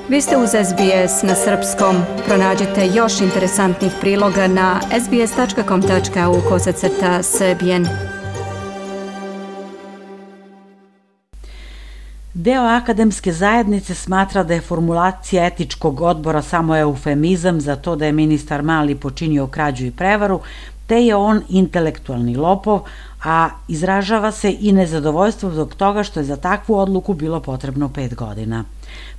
Vi ste uz SBS na srpskom. Pronađite još interesantnih priloga na sbs.com.au/srbijen. Deo akademske zajednice smatra da je formulacija etičkog odbora samo eufemizam za to da je ministar Mali počinio krađu i prevaru, te je on intelektualni lopov, a izražava se i nezadovoljstvo zbog toga što je za takvu odluku bilo potrebno 5 godina.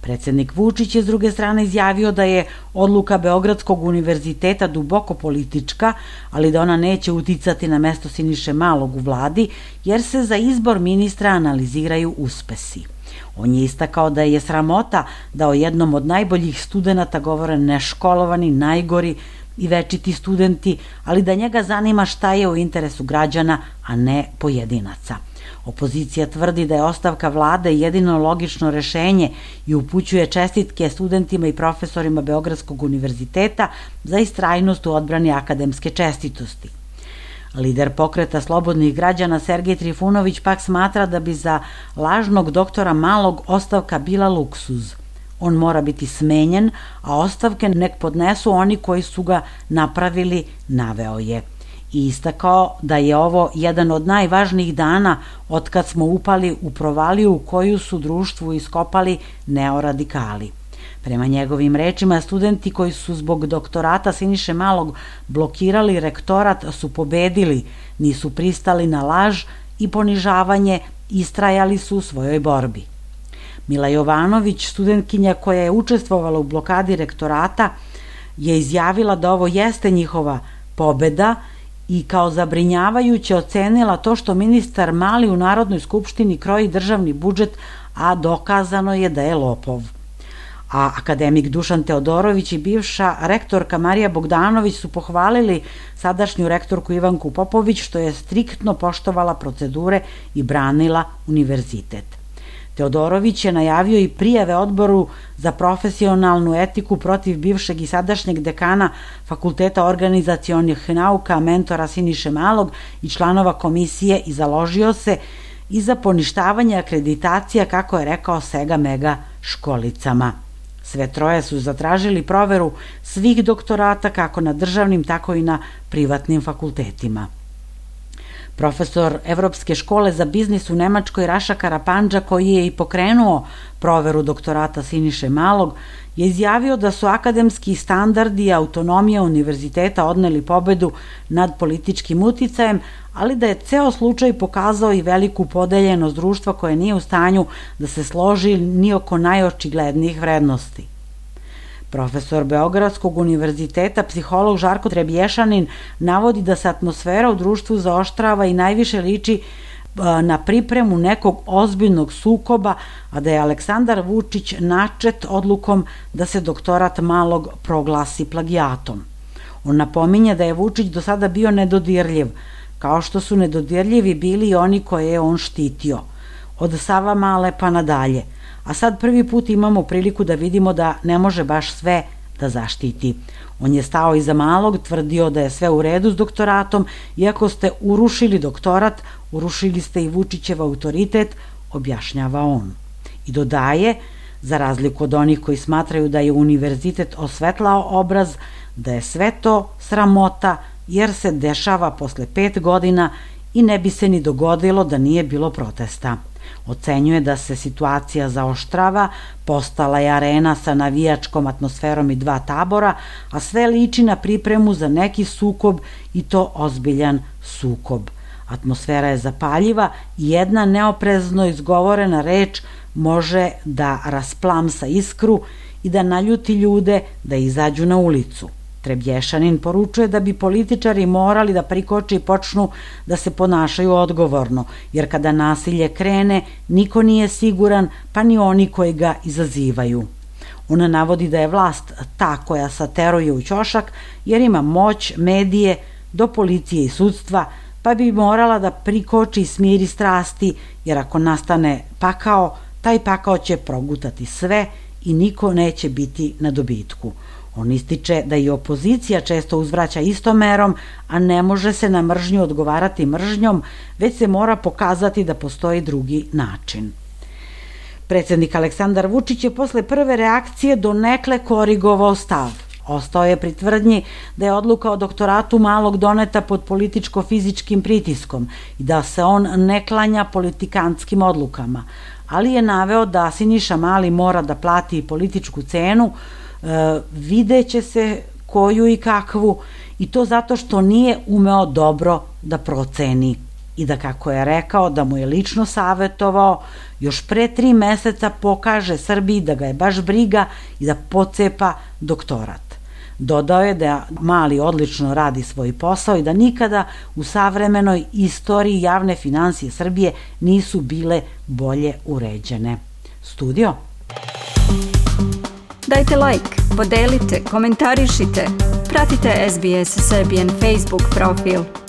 Predsednik Vučić je s druge strane izjavio da je odluka Beogradskog univerziteta duboko politička, ali da ona neće uticati na mesto Siniše Malog u vladi, jer se za izbor ministra analiziraju uspesi. On je istakao da je sramota da o jednom od najboljih studenata govore neškolovani, najgori i večiti studenti, ali da njega zanima šta je u interesu građana, a ne pojedinaca. Opozicija tvrdi da je ostavka vlade jedino logično rešenje i upućuje čestitke studentima i profesorima Beogradskog univerziteta za istrajnost u odbrani akademske čestitosti. Lider pokreta slobodnih građana Sergej Trifunović pak smatra da bi za lažnog doktora Malog ostavka bila luksuz. On mora biti smenjen, a ostavke nek podnesu oni koji su ga napravili, naveo je. I istakao da je ovo jedan od najvažnijih dana otkad smo upali u provaliju u koju su društvu iskopali neoradikali. Prema njegovim rečima, studenti koji su zbog doktorata Siniše Malog blokirali rektorat su pobedili, nisu pristali na laž i ponižavanje, istrajali su u svojoj borbi. Mila Jovanović, studentkinja koja je učestvovala u blokadi rektorata, je izjavila da ovo jeste njihova pobeda i kao zabrinjavajuće ocenila to što ministar Mali u Narodnoj skupštini kroji državni budžet, a dokazano je da je lopov. A akademik Dušan Teodorović i bivša rektorka Marija Bogdanović su pohvalili sadašnju rektorku Ivanku Popović što je striktno poštovala procedure i branila univerzitet. Teodorović je najavio i prijave odboru za profesionalnu etiku protiv bivšeg i sadašnjeg dekana Fakulteta organizacionih nauka, mentora Siniše Malog i članova komisije i založio se i za poništavanje akreditacija, kako je rekao, Sega Mega školicama. Sve troje su zatražili proveru svih doktorata kako na državnim, tako i na privatnim fakultetima. Profesor Evropske škole za biznis u Nemačkoj Raša Karapandža, koji je i pokrenuo proveru doktorata Siniše Malog, je izjavio da su akademski standardi i autonomija univerziteta odneli pobedu nad političkim uticajem, ali da je ceo slučaj pokazao i veliku podeljenost društva koje nije u stanju da se složi ni oko najočiglednijih vrednosti. Profesor Beogradskog univerziteta, psiholog Žarko Trebješanin, navodi da se atmosfera u društvu zaoštrava i najviše liči na pripremu nekog ozbiljnog sukoba, a da je Aleksandar Vučić načet odlukom da se doktorat Malog proglasi plagijatom. On napominje da je Vučić do sada bio nedodirljiv, kao što su nedodirljivi bili i oni koje je on štitio, od Savamale pa nadalje. A sad prvi put imamo priliku da vidimo da ne može baš sve da zaštiti. On je stao iza Malog, tvrdio da je sve u redu s doktoratom, iako ste urušili doktorat, urušili ste i Vučićev autoritet, objašnjava on. I dodaje, za razliku od onih koji smatraju da je univerzitet osvetlao obraz, da je sve to sramota, jer se dešava posle 5 godina i ne bi se ni dogodilo da nije bilo protesta. Ocenjuje da se situacija zaoštrava, postala je arena sa navijačkom atmosferom i 2 tabora, a sve liči na pripremu za neki sukob i to ozbiljan sukob. Atmosfera je zapaljiva i jedna neoprezno izgovorena reč može da rasplamsa iskru i da naljuti ljude da izađu na ulicu. Trebješanin poručuje da bi političari morali da prikoče i počnu da se ponašaju odgovorno, jer kada nasilje krene, niko nije siguran, pa ni oni koji ga izazivaju. Ona navodi da je vlast ta koja sateruje u ćošak, jer ima moć, medije, do policije i sudstva, pa bi morala da prikoči i smiri strasti, jer ako nastane pakao, taj pakao će progutati sve i niko neće biti na dobitku. On ističe da i opozicija često uzvraća istom merom, a ne može se na mržnju odgovarati mržnjom, već se mora pokazati da postoji drugi način. Predsednik Aleksandar Vučić je posle prve reakcije donekle korigovao stav. Ostao je pri tvrdnji da je odluka o doktoratu Malog doneta pod političko-fizičkim pritiskom i da se on ne klanja politikanskim odlukama, ali je naveo da Siniša Mali mora da plati političku cenu, videće se koju i kakvu, i to zato što nije umeo dobro da proceni. I da, kako je rekao, da mu je lično savetovao još pre 3 meseca pokaže Srbiji da ga je baš briga i da pocepa doktorat. Dodao je da Mali odlično radi svoj posao i da nikada u savremenoj istoriji javne finansije Srbije nisu bile bolje uređene. Studio? Dajte like, podelite, komentarišite, pratite SBS Serbian Facebook profil.